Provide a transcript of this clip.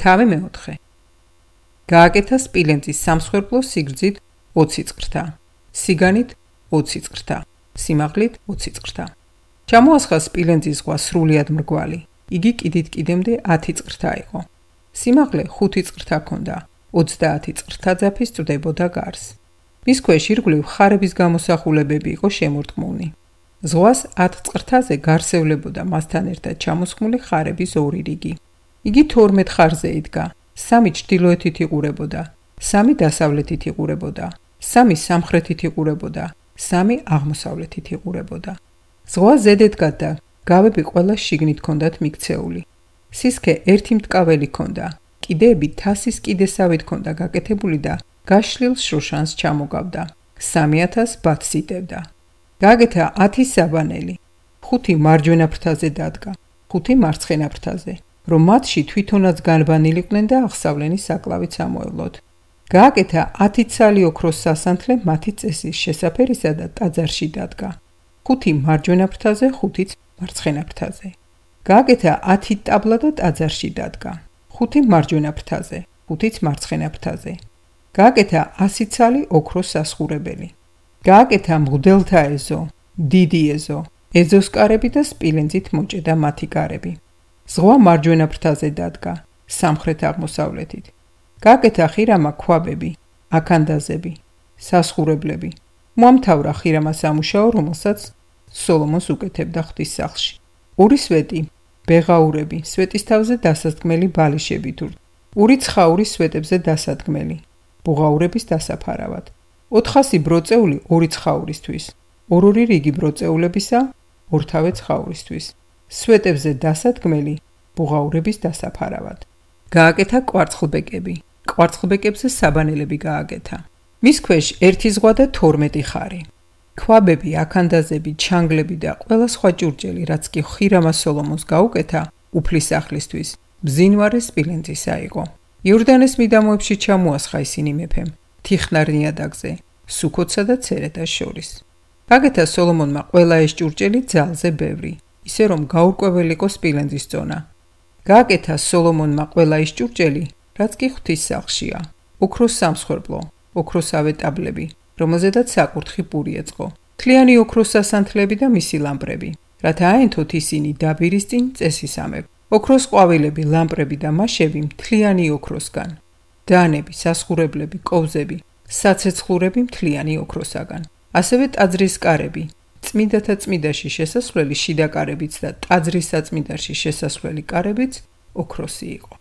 თავი მეოთხე. გააკეთა სპილენძის სამსხვერპლო სიგრძით 20 წრთა, სიგანით 20 წრთა, სიმაღლით 20 წრთა. ჩამოასხა სპილენძის ზღვა სრულიად მრგვალი. იგი კიდით კიდემდე 10 წრთა იყო. სიმაღლე 5 წრთა ჰქონდა, 30 წრთა ძაფი სწრდებოდა გარს. მის ქვეშ ირგვლივ ხარების გამოსახულებები იყო შემორტყმული. ზღვას 10 წრთაზე გარსევლებოდა მასთან ერთად ჩამოსხმული ხარების ორი რიგი. იგი 12 ხარზე იდგა, 3 ჩრდილოეთით იყურებოდა, 3 დასავლეთით იყურებოდა, 3 სამხრეთით იყურებოდა, 3 აღმოსავლეთით იყურებოდა. ზღვა ზედედგა და გავები ყველა შიგნით ჰქონდათ მიქცეული. სისქე ერთი მტკაველი ჰქონდა, კიდეები თასის კიდესავით ჰქონდა გაკეთებული და გაშლილ შროშანს ჩამოგავდა. 3000 ბათს იტევდა. გააკეთა 10 საბანელი. 5 მარჯვენა ფრთაზე დადგა, 5 მარცხენა ფრთაზე, რომ მათში თვითონაც განბანილიყვნენ და აღსავლენის საკლავით ამოევლოთ. გააკეთა 10 ცალი ოქროს სასანთლე მათი წესის შესაფერისა და ტაძარში დადგა. 5 მარჯვენა ფრთაზე, 5 მარცხენა ფრთაზე. გააკეთა 10 ტაბლა და ტაძარში დადგა. 5 მარჯვენა ფრთაზე, 5 მარცხენა ფრთაზე. გააკეთა 100 ცალი ოქროს სასხურებელი. გააკეთა მღვდელთა ეზო, დიდი ეზო, ეზოს კარები და სპილენძით მოჭედა მათი კარები. ზღვა მარჯვენა ფრთაზე დადგა, სამხრეთ აღმოსავლეთით. გააკეთა ხირამა ქვაბები, აქანდაზები, სასხურებლები. მოამთავრა ხირამა სამუშაო, რომელსაც სოლომონს უკეთებდა ღვთისსახლში. ორი სვეტი, ბეღაურები, სვეტის თავზე დასადგმელი ბალიშები თუ ორი ცხაური სვეტებზე დასადგმელი, ბუღაურების დასაფარავად. 400 ბროწეული ორი ცხაურისთვის, ორ-ორი რიგი ბროწეულებისა, ორთავე ცხაურისთვის. სვეტებზე დასადგმელი, ბუღაურების დასაფარავად. გააკეთა კვარცხლბეკები, კვარცხლბეკებზე საბანელები გააკეთა. მის ქვეშ ერთი ზღვა და 12 ხარი. ქვაბები, აქანდაზები, ჩანგლები და ყველა სხვა ჭურჭელი, რაც კი ხირამა სოლომონს გაუკეთა, უფლისახლისთვის, ბზინვარე სპილენძისა იყო. იორდანეს მიდამოებში ჩამოასხა ისინი მეფემ, თიხნარ ნიადაგზე, სუქოტსა და ცერეთას შორის. გააკეთა სოლომონმა ყველა ეს ჭურჭელი ძალზე ბევრი, ისე რომ გაურკვეველი იყო სპილენძის წონა. გააკეთა სოლომონმა ყველა ის ჭურჭელი, რაც კი ღვთისსახლშია, ოქროს სამსხვერპლო, ოქროსავე ტაბლები, რომელზედაც საკურთხი პური ეწყო, თლიანი ოქროს სასანთლები და მისი ლამპრები, რათა აენთოთ ისინი დაბირის წინ წესისამებრ. ოქროს ყვავილები, ლამპრები და მაშები მთლიანი ოქროსგან, დანები, სასხურებლები, კოვზები, საცეცხლურები მთლიანი ოქროსაგან. ასევე ტაძრის კარები, წმიდათა წმიდაში შესასვლელი შიდა კარებიც და ტაძრის საწმიდაში შესასვლელი კარებიც ოქროსი იყო.